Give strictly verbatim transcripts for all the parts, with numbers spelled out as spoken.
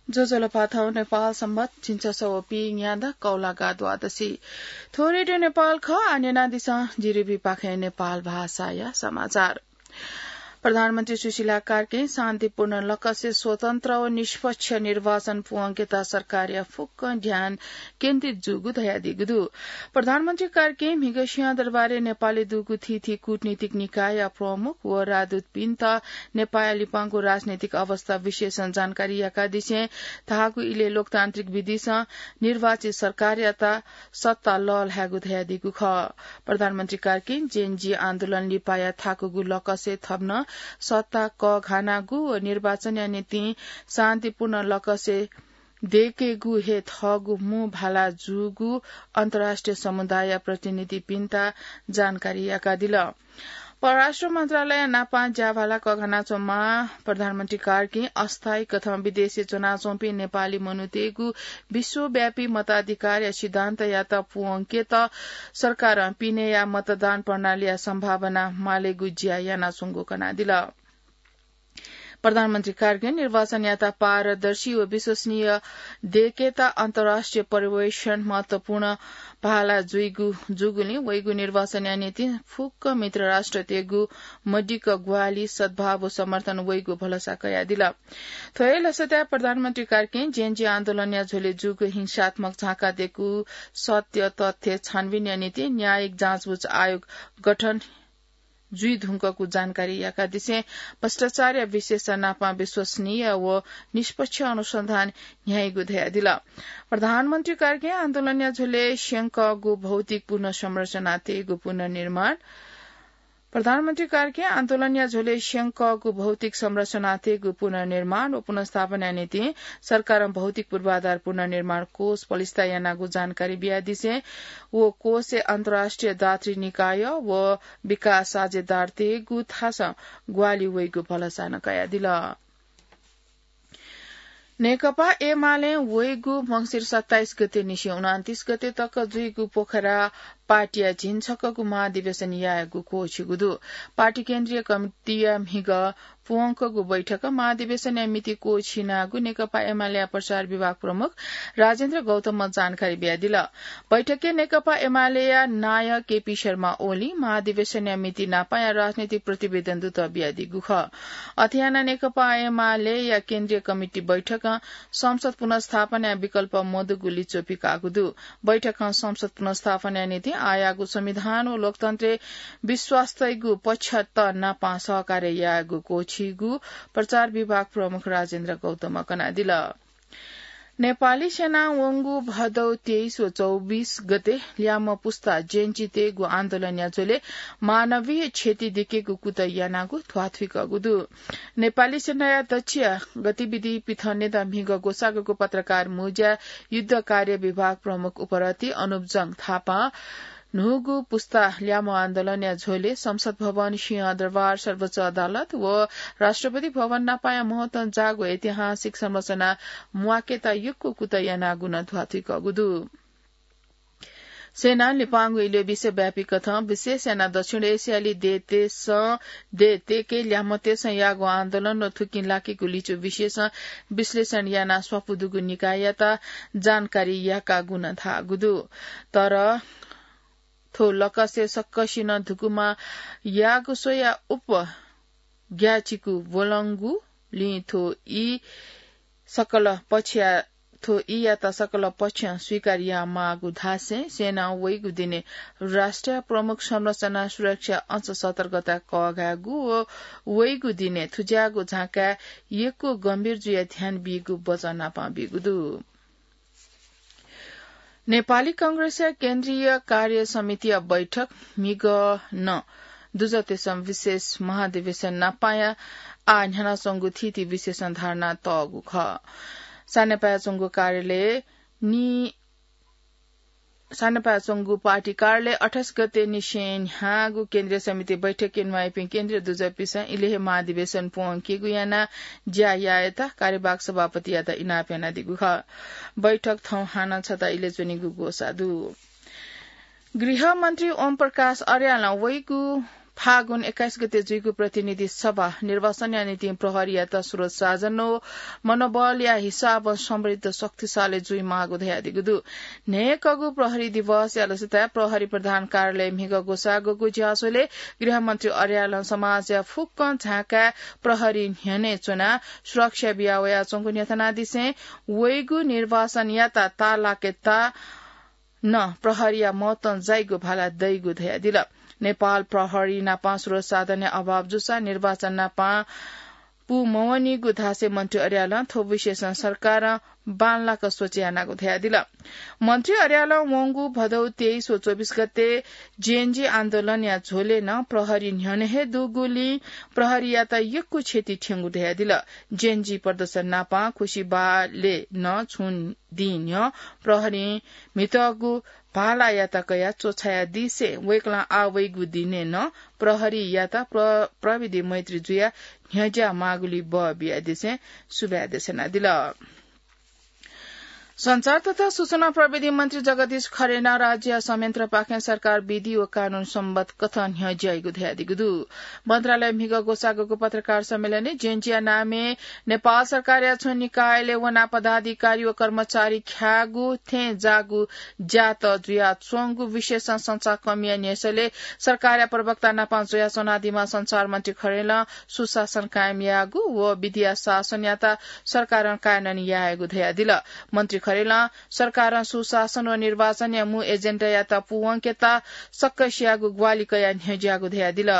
ज्वजलपा, थौं नेपाल संवत् झिंछसः व पीन्यादँ कौलागा द्वादशी। थ्व रेडियो नेपाल खः। आः न्यनादिसँ जिरिबी पाखें नेपाल भाषाया समाचार। प्रधानमन्त्री सुशीला कार्कीं शान्तिपूर्ण लकसे स्वतन्त्र व निष्पक्ष निर्वाचन पूवंकेत सरकारया फुक्क ध्यान केन्द्रित जूगु धयादीगु दु। प्रधानमन्त्री कार्कीं म्हिगः सिंहदरबारय् नेपालय् दुगु थीथी कूटनीतिक निकायया प्रमुख व राजदूतपिन्त नेपाःया लिपांगु राजनैतिक अवस्था विशेषं जानकारी याकादिसें धाःगु इलय् लोकतान्त्रिक विधिसं निर्वाचित सरकारयात सत्ता लःल्हायेगु धयादीगु खः। प्रधानमन्त्री कार्कीं जेन जी आन्दोलन लिपाया थाकुगु लकसे थप नं सत्ता कःघानागु व निर्वाचनया निंतिं शान्तिपूर्ण लकसे दयेकेगु हे थःगु मू भाला जूगु अन्तर्राष्ट्रिय समुदायया प्रतिनिधिपिन्त जानकारी याकादिल। परराष्ट्र मन्त्रालय नापं ज्याभाला कःघानाच्वंम्ह प्रधानमन्त्री कार्कीं अस्थायी कथं विदेशय् च्वनाच्वंपिं नेपाली मनूतय्गु विश्वव्यापी मताधिकारया सिद्धान्तयात पूवंकेत सरकारं पिनेया मतदान प्रणालीया सम्भावना मालेगु ज्या यानाच्वंगु कनादिल। प्रधानमन्त्री कार्कीं निर्वाचनयात पारदर्शी व विश्वसनीय दयेकेत अन्तर्राष्ट्रिय पर्यवेक्षण महत्वपूर्ण भाला जुइगु जूगुलिं वइगु निर्वाचनया निंतिं फुक्क मित्र राष्ट्रतय्गु मदिक्क ग्वाहालि, सद्भाव व समर्थन वइगु भलसा कयादिल। थ्व हे लसताय् प्रधानमन्त्री कार्कीं जेन जी आन्दोलनया झ्वलय् जूगु हिंसात्मक झाँकादयेगु सत्य तथ्य छानबिनया निंतिं न्यायिक जाँचबुझ आयोग गठन जुइधुंकूगु जानकारी याकादिसें भ्रष्टाचारया विशेषता नापं विश्वसनीय व निष्पक्ष अनुसन्धान न्ह्याइगु धयादिल। प्रधानमन्त्री कार्कीं आन्दोलनया झ्वलय् स्यंकःगु भौतिक पुनर्संरचना तयेगु पुनर्निर्माण, प्रधानमन्त्री कार्कीं आन्दोलनया झ्वलय् स्यंकःगु भौतिक संरचना तयेगु पुनर्निर्माण व पुनर्स्थापनाया निंतिं सरकारं भौतिक पूर्वाधार पुनर्निर्माण कोष पलिस्था यानागु जानकारी बियादिसें व कोषय् अन्तर्राष्ट्रिय दात्री निकाय व विकास साझेदारतय्गु थासं ग्वाहालि वइगु भलसा नं कयादिल। नेकपा एमालें वइगु मंसिर सत्ताइस गते निसें उनन्तिस गते तक जुइगु पोखरा पार्टीया झिंछक्वःगु महाधिवेशन यायेगु क्वःछिगु दु। पार्टी केन्द्रीय कमिटीया म्हिगः पूवंकूगु बैठकं महाधिवेशनया मिति क्वःछिनागु नेकपा एमालेया प्रचार विभाग प्रमुख राजेन्द्र गौतमं जानकारी बियादिल। बैठकय् नेकपा एमालेया नायः केपी शर्मा ओलीं महाधिवेशनया मिति नापंया राजनैतिक प्रतिवेदन दुत बियादीगु खः। अथे यानाः नेकपा एमालेया केन्द्रीय कमिटी बैठकं संसद पुनर्स्थापनाया विकल्प मदुगु लिच्वः पिकाःगु दु। बैठकं संसद पुनर्स्थापनाया निंतिं आःयाःगु संविधान व लोकतन्त्रय् विश्वास तइगु पक्षत नापं सहकार्य यायेगु क्वःछिइगु प्रचार विभाग प्रमुख राजेन्द्र गौतमं कनादिल। नेपाली सेनां वंगु भदौ तेइस व चौबिस गते ल्याम्ह पुस्ता जेनजीतय्गु आन्दोलनया झ्वलय् मानवीय क्षति दिकेगु कुतः यानागु ध्वाथुइकःगु दु। नेपाली सेनाया दच्छिया गतिविधि पिथनेत म्हिगः ग्वसाःगु पत्रकार मुंज्या युद्ध कार्य विभाग प्रमुख उपरथी अनुप जंग थापां न्हूगु पुस्ता ल्याम्ह आन्दोलनया झ्वलय् संसद भवन, सिंहदरबार, सर्वोच्च अदालत व राष्ट्रपति भवन नापंया महत्वं जाःगु ऐतिहासिक संरचना म्वाकेत यक्व कुतः यानागु नं ध्वाथुइकःगु दु। सेनां लिपांगु इलय् विश्वव्यापी कथं विशेष यानाः दक्षिण एसियाली देय्तय्सं देय्तय्के ल्याम्हतय्सं याःगु आन्दोलन व थुकिं लाकेगु लिच्वः विशेषं विश्लेषण यानाः स्वापू दुगु निकाययात जानकारी याकागु नं धाःगु दु। तर थ्व लकसे सकसिनं धुकुमा याःगु स्वयाः उप ग्याःचिकु ब्वलंगुलिं थ्व ई सकल पक्षया, थ्व ईयात सकल पक्षं स्वीकार यायेमाःगु धासें सेनां वइगु दिनय् राष्ट्रिय प्रमुख संरचना सुरक्षा अंश सतर्कता कःघायेगु व वइगु दिनय् थुज्याःगु झाँकाय् यक्व गम्भीर जुयाः ध्यान बीगु वचन नापं बीगु दु। नेपाली कांग्रेसया केन्द्रीय कार्य समितिया बैठक म्हिगः नं दुजःतेसं विशेष महाधिवेशन नापंया आः न्ह्यानाच्वंगु थीथी विशेषं धारणा तःगु खः। सानेपाय् च्वंगु कार्यालय नि-, सानेपाय् च्वंगु पार्टी कार्यालय अट्ठाइस गते निसें न्ह्याःगु केन्द्रीय समिति बैठकय् न्वाइपिं केन्द्रीय दुजःपिसं इलय् हे महाधिवेशन पूवंकेगु यानाः ज्या यायेत कार्यवाहक सभापतियात इनाप यानादीगु खः। बैठक थौं हानं छता इलय् च्वनीगु ग्वसाः दु। गृहमन्त्री ओम प्रकाश अर्यालं वइगु फागुन एक्काइस गते जुइगु प्रतिनिधि सभा निर्वाचनया निंतिं प्रहरीयात स्रोत साधन व मनोबलया हिसाबं समृद्ध शक्तिशाली जुइमाःगु धयादीगु दु। न्हय्कःगु प्रहरी दिवसया लसताय् प्रहरी प्रधान कार्यालय म्हिगः ग्वसाःगुगु ज्याझ्वलय् गृहमन्त्री अर्यालं समाजया फुक्कं झाँकाय् प्रहरी न्ह्यःने च्वनाः सुरक्षा बिया वयाच्वंगु न्ह्यथनादिसें वइगु निर्वाचनयात ताःलाकेत नं प्रहरीया महत्वं जाइगु भाला दइगु धयादिल। नेपाल प्रहरी नापं स्रोत साधनया अभाव जूसा निर्वाचन नापं पू मवनीगु धासें मन्त्री अर्यालं थ्व विषयसं सरकारं बांलाक सोचे यानागु धयादिल। मन्त्री अर्यालं वंगु भदौ तेइस व चौबिस गते जेएनजी आन्दोलनया झ्वलय् नं प्रहरी न्ह्यःने हे दुगुलिं प्रहरीयात यक्व क्षति थ्यंगु धयादिल। जेएनजी प्रदर्शन नापं खुसिबालय् नं छुं दिं न्ह्यः प्रहरीं म्हितःगु भालायात कयाः च्वछायादिसें वय्कलं आः वइगु दिनय् नं प्रहरीयात प्र-, प्रविधि मैत्री जुयाः न्ह्यज्याः माःगुलिइ बः बियादिसें सुभाय् देछानादिल। सञ्चार तथा सूचना प्रविधि मन्त्री जगदीश खरेलं राज्य संयन्त्रपाखें सरकार विधि व कानून सम्बत कथं न्ह्यज्याइगु धयादीगु दु। मन्त्रालय म्हिगः ग्वसाःगु पत्रकार सम्मेलनय् जेएनजीया नामय् नेपाल सरकारया छुं निकायलय् वनाः पदाधिकारी व कर्मचारी ख्याःगु थें जाःगु ज्यात जुयाच्वंगु विषयसं संचारकर्मीया न्ह्यसःलय् सरकारया प्रवक्ता नापं जुयाच्वनादीम्ह सञ्चार मन्त्री खरेलं सुशासन कायम यायेगु व विधिया शासनयात सरकारं कायम यायेगु धयादिल। मन्त्री खरेलं सरकारं सुशासन व निर्वाचनया मू एजेन्डायात पूवंकेत सकसियागु ग्वाहालि कयाः न्ह्यज्याःगु धयादिल।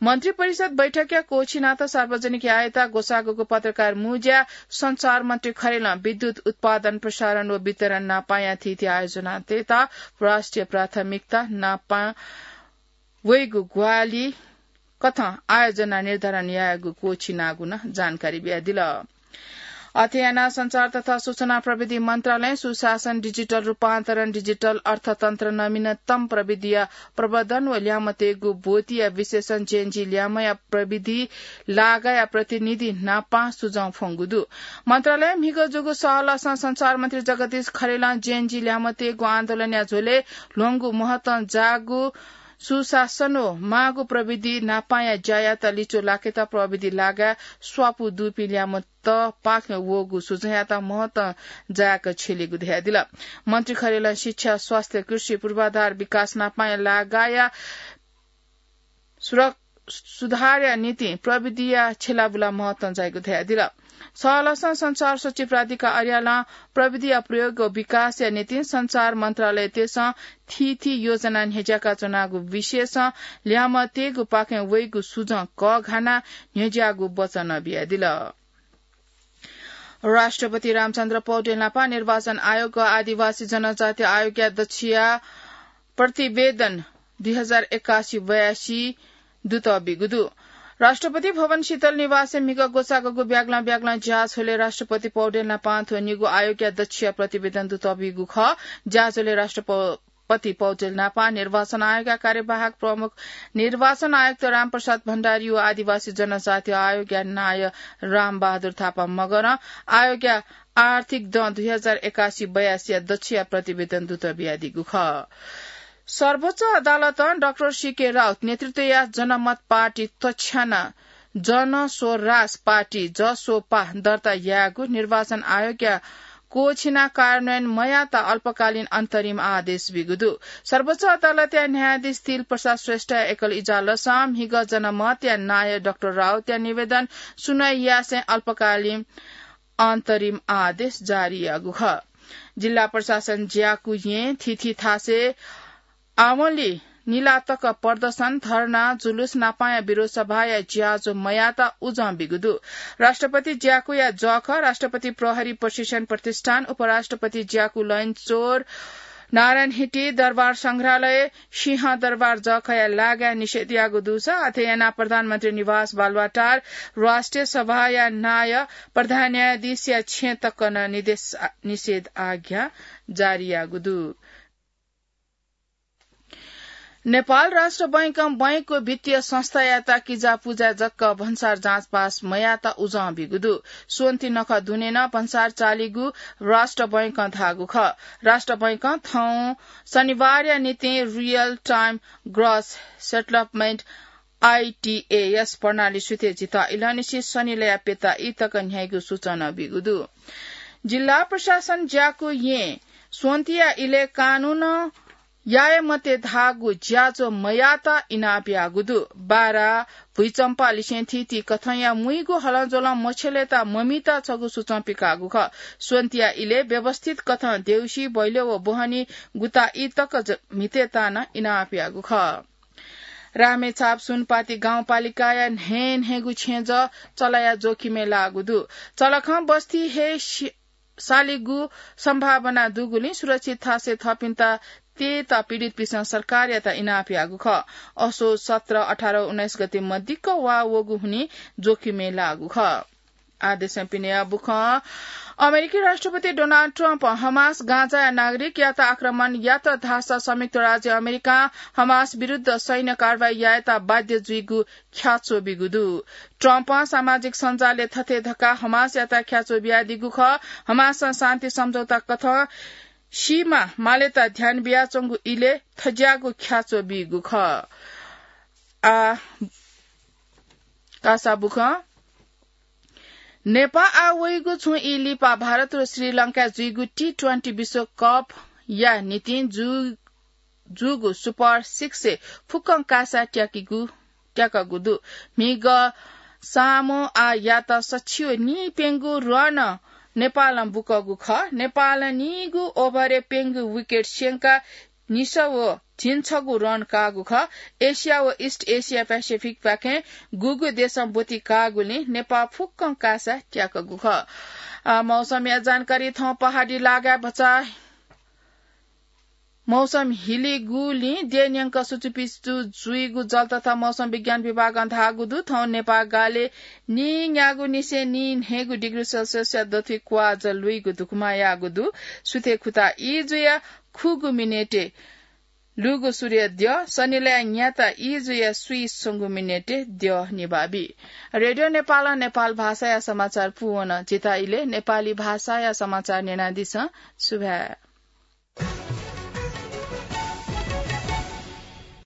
मन्त्री परिषद बैठकया क्वःछिनात सार्वजनिक यायेत ग्वसाःगु पत्रकार मुँज्या सञ्चार मन्त्री खरेलं विद्युत उत्पादन, प्रसारण व वितरण नापांया थीथी आयोजनातय्त राष्ट्रिय प्राथमिकता नापं वइगु ग्वाहालि कथं आयोजना निर्धारण यायेगु क्वःछिनागु नं जानकारी बियादिल। अथे यानाः सञ्चार तथा सूचना प्रविधि मन्त्रालयं सुशासन, डिजिटल रूपान्तरण, डिजिटल अर्थतन्त्र, नवीनतम प्रविधिया प्रवर्धन व ल्यामतय्गु ब्वतिया विशेषं जेएनजी ल्यामया प्रविधि लागाया प्रतिनिधि नापं सुझाव फ्वंगु दु। मन्त्रालयं म्हिगः जूगु सहलहसं सञ्चार मन्त्री जगदीश खरेलं जेएनजी ल्यामतय्गु आन्दोलनया झ्वलय् ल्ह्वंगु महत्वं जाःगु सुशासन व माःगु प्रविधि नापांया ज्यायात लिच्वः लाकेत प्रविधि लागाय् स्वापू दुपिं ल्यामत पाखें वःगु सुझावयात महत्वं जाय्क छ्यलीगु धयादिल। मन्त्री खरेलं शिक्षा, स्वास्थ्य, कृषि, पूर्वाधार विकास नापांया लागाया सुरक-, सुधारया निंतिं प्रविधिया छ्यलाबुला महत्वं जाइगु धयादिल। सहलहसं सञ्चार सचिव राधिका अर्यालं प्रविधिया प्रयोग व विकासया निंतिं सञ्चार मन्त्रालयतय्सं थीथी योजना न्ह्यज्याका च्वनागु विषयसं ल्यामतय्गु पाखें वइगु सुझं कःघानाः न्ह्यज्याःगु वचन बियादिल। राष्ट्रपति रामचन्द्र पौडेल नापं निर्वाचन आयोग व आदिवासी जनजाति आयोगया दच्छिया प्रतिवेदन दुई हजार एकासी बयासी दुत बीगु दु। राष्ट्रपति भवन शीतल निवासय् म्हिगः ग्वसाःगु ब्यागलं ब्यागलं ज्याझ्वलय् राष्ट्रपति पौडेल नापं थ्व निगू आयोगया दच्छिया प्रतिवेदन दुत बीगु खः। ज्याझ्वलय् राष्ट्रपति पौडेल नापं निर्वाचन आयोगया कार्यवाहक प्रमुख निर्वाचन आयुक्त रामप्रसाद भण्डारी व आदिवासी जनजाति आयोगया नायः रामबहादुर थापा मगरं आयोगया आर्थिक दँ दुई हजार एकासी बयासीया दच्छिया प्रतिवेदन दुत बियादीगु खः। सर्वोच्च अदालतं डाक्टर सीके राउत नेतृत्वया जनमत पार्टी तछ्यानाः जनस्वराज पार्टी, जसोपा, दर्ता यायेगु निर्वाचन आयोगया क्वःछिनाः कार्यान्वयन मयात अल्पकालीन अन्तरिम आदेश बीगु दु। सर्वोच्च अदालतया न्यायाधीश तिल प्रसाद श्रेष्ठया एकल इजलासं म्हिगः जनमतया नायः डाक्टर राउतया निवेदन सुनवाई यासें अल्पकालीन अन्तरिम आदेश जारी याःगु खः। जिल्ला प्रशासन ज्याकू येँ थीथी थासय् आवंलि निला तक प्रदर्शन, धर्ना, जुलुस नापांया विरोध सभाया ज्याझ्वः मयात उजं बीगु दु। राष्ट्रपति ज्याकूया जःखः राष्ट्रपति प्रहरी प्रशिक्षण प्रतिष्ठान, उपराष्ट्रपति ज्याकू लैनचौर, नारायणहिटी दरबार संग्रहालय, सिंहदरबार जःखःया लागाय् निषेध याःगु दुसा अथे यानाः प्रधानमन्त्री निवास बालुवाटार, राष्ट्रिय सभाया नायः, प्रधान न्यायाधीशया छेँ तक नं निदेश-, निषेध आज्ञा जारी याःगु दु। नेपाल राष्ट्र बैंकं बैंकको वित्तीय संस्थायात किजा पुजा जक भन्सार जाँचपास मयात उजं बीगु दु। स्वन्ति नखः दुने नं भन्सार चालीगु राष्ट्र बैंकं धाःगु खः। राष्ट्र बैंकं थौं शनिबारया निंतिं real time gross settlement आईटीएएस प्रणाली सुथे जिता इलंनिसें शनिलया प्यता ई तक न्ह्याइगु सूचना बीगु दु। जिल्ला प्रशासन ज्याकू यें स्वन्तिया इले कानून याये मते धाःगु ज्याझ्वः मयात इनाप याःगु दु। बारा भुइचम्पा लिसें थीथी कथंया मुइगु हलंज्वलं मछ्यलेत ममित छगू सूचं पिकाःगु खः। स्वन्तिया इले व्यवस्थित कथं देउसी, बैल्यो व बोहनी गुता ई तक ज-, म्हितेतानं इनाप याःगु खः। रामेछाप सुनपाती गाउँपालिकाया न्हय् न्हय्गु छेँजः चलाया जोखिमय् लाःगु दु। चलखं बस्ती हे सि-, सालिगु सम्भावना दुगुलिं सुरक्षित थासय् थःपिन्त तयेत पीडितपिसं सरकारयात इनाप याःगु खः। असोज सत्र, अठार, उन्नाइस गते मदिक्क वा वःगु हुनिं जोखिमय् लाःगु खः। आदेशं पिने बुखं अमेरिकी राष्ट्रपति डोनाल्ड ट्रम्प हमास गाजाया नागरिकयात आक्रमण यात धाःसा संयुक्त राज्य अमेरिकां हमास विरुद्ध सैन्य कारवाही यायेत बाध्य जुइगु ख्याच्वः बीगु दु। ट्रम्पं सामाजिक सञ्जालय् थथे धकाः हमासयात ख्याच्वः बियादीगु खः। हमासं शान्ति सम्झौता कथं सीमा मालेत ध्यान बियाच्वंगु इले थज्याःगु ख्याच्वः बीगु खः। आ, कासा बुखं नेपाः आः वइगु छुं ई लिपा भारत व श्रीलंकाय् जुइगु टी ट्वेन्टी विश्वकपया निंतिं जु-, जूगु सुपर सिक्सय् फुक्कं कासा त्याकीगु, त्याकःगु दु। म्हिगः सामोआयात सछि व नीप्यंगू रन नेपालं बुकःगु खः। नेपालं नीगू ओभरय् प्यंगू विकेट स्यंकाः निसः व झिंछगू रन काःगु खः। एसिया व इस्ट एसिया प्यासिफिकपाखें गुगु देशं ब्वति काःगुलिं नेपाः फुक्कं कासा त्याकःगु खः। आ, मौसमया जानकारी थौं पहाडी लागाय् भचा मौसम हिलिगुलिं देय्‌न्यंक सुचुपिचु जुइगु जल तथा मौसम विज्ञान विभागं धाःगु दु। थौं नेपाः गालय् नीन्यागू निसें नीन्हय्‌गू डिग्री सेल्सियसया दथुइ क्वाः जः लुइगु धुकुमा याःगु दु। सुथय् खुता ई जुयाः खुगू मिनेटय् लुगु सूर्य द्यः, सनिलया न्याता ई जुयाः स्वीस्वंगू मिनेटय् द्यः निभाः बी। रेडियो नेपालं नेपाल भाषाया समाचार पूवन। जिता इले नेपाली भाषाया समाचार न्यनादिसँ। सुभाय्।